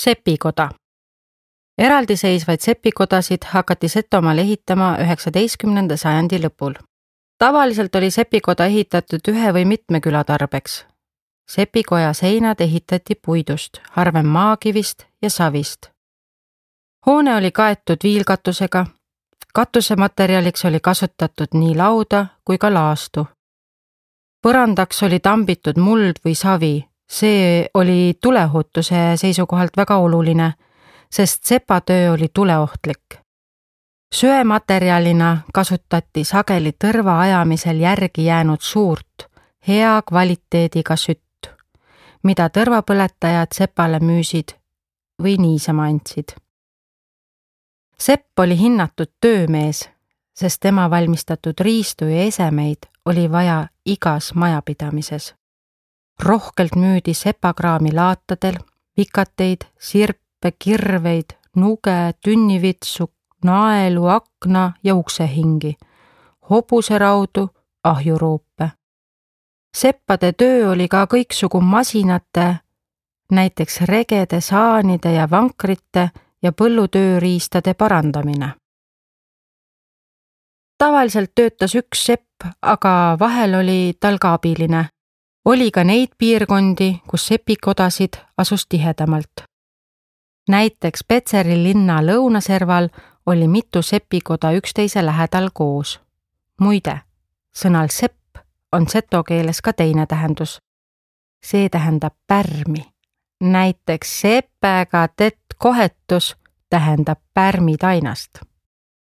Sepikoda. Eraldiseisvaid sepikodasid hakati Setomaal ehitama 19. sajandi lõpul. Tavaliselt oli sepikoda ehitatud ühe või mitme küla tarbeks. Sepikoja seinad ehitati puidust, harvem maakivist ja savist. Hoone oli kaetud viilkatusega. Katusematerjaliks oli kasutatud nii lauda kui ka laastu. Põrandaks oli tambitud muld või savi. See oli tuleohutuse seisukohalt väga oluline, sest sepatöö oli tuleohtlik. Söematerjalina kasutati sageli tõrva ajamisel järgi jäänud suurt, hea kvaliteediga sütt, mida tõrvapõletajad sepale müüsid või niisama andsid. Sepp oli hinnatud töömees, sest tema valmistatud riistu ja esemeid oli vaja igas majapidamises. Rohkelt müüdi sepakraami laatadel, vikateid, sirpe, kirveid, nuge, tünnivitsu, naelu, akna ja uksehingi, hobuseraudu, ahjuruupe. Seppade töö oli ka kõiksugu masinate, näiteks regede, saanide ja vankrite ja põllutööriistade parandamine. Tavaliselt töötas üks sepp, aga vahel oli tal ka abiline. Oli ka neid piirkondi, kus sepikodasid asus tihedamalt. Näiteks Petseri linna lõunaserval oli mitu sepikoda üksteise lähedal koos. Muide, sõnal sepp on seto keeles ka teine tähendus. See tähendab pärmi. Näiteks sepega tett kohetus tähendab pärmitainast.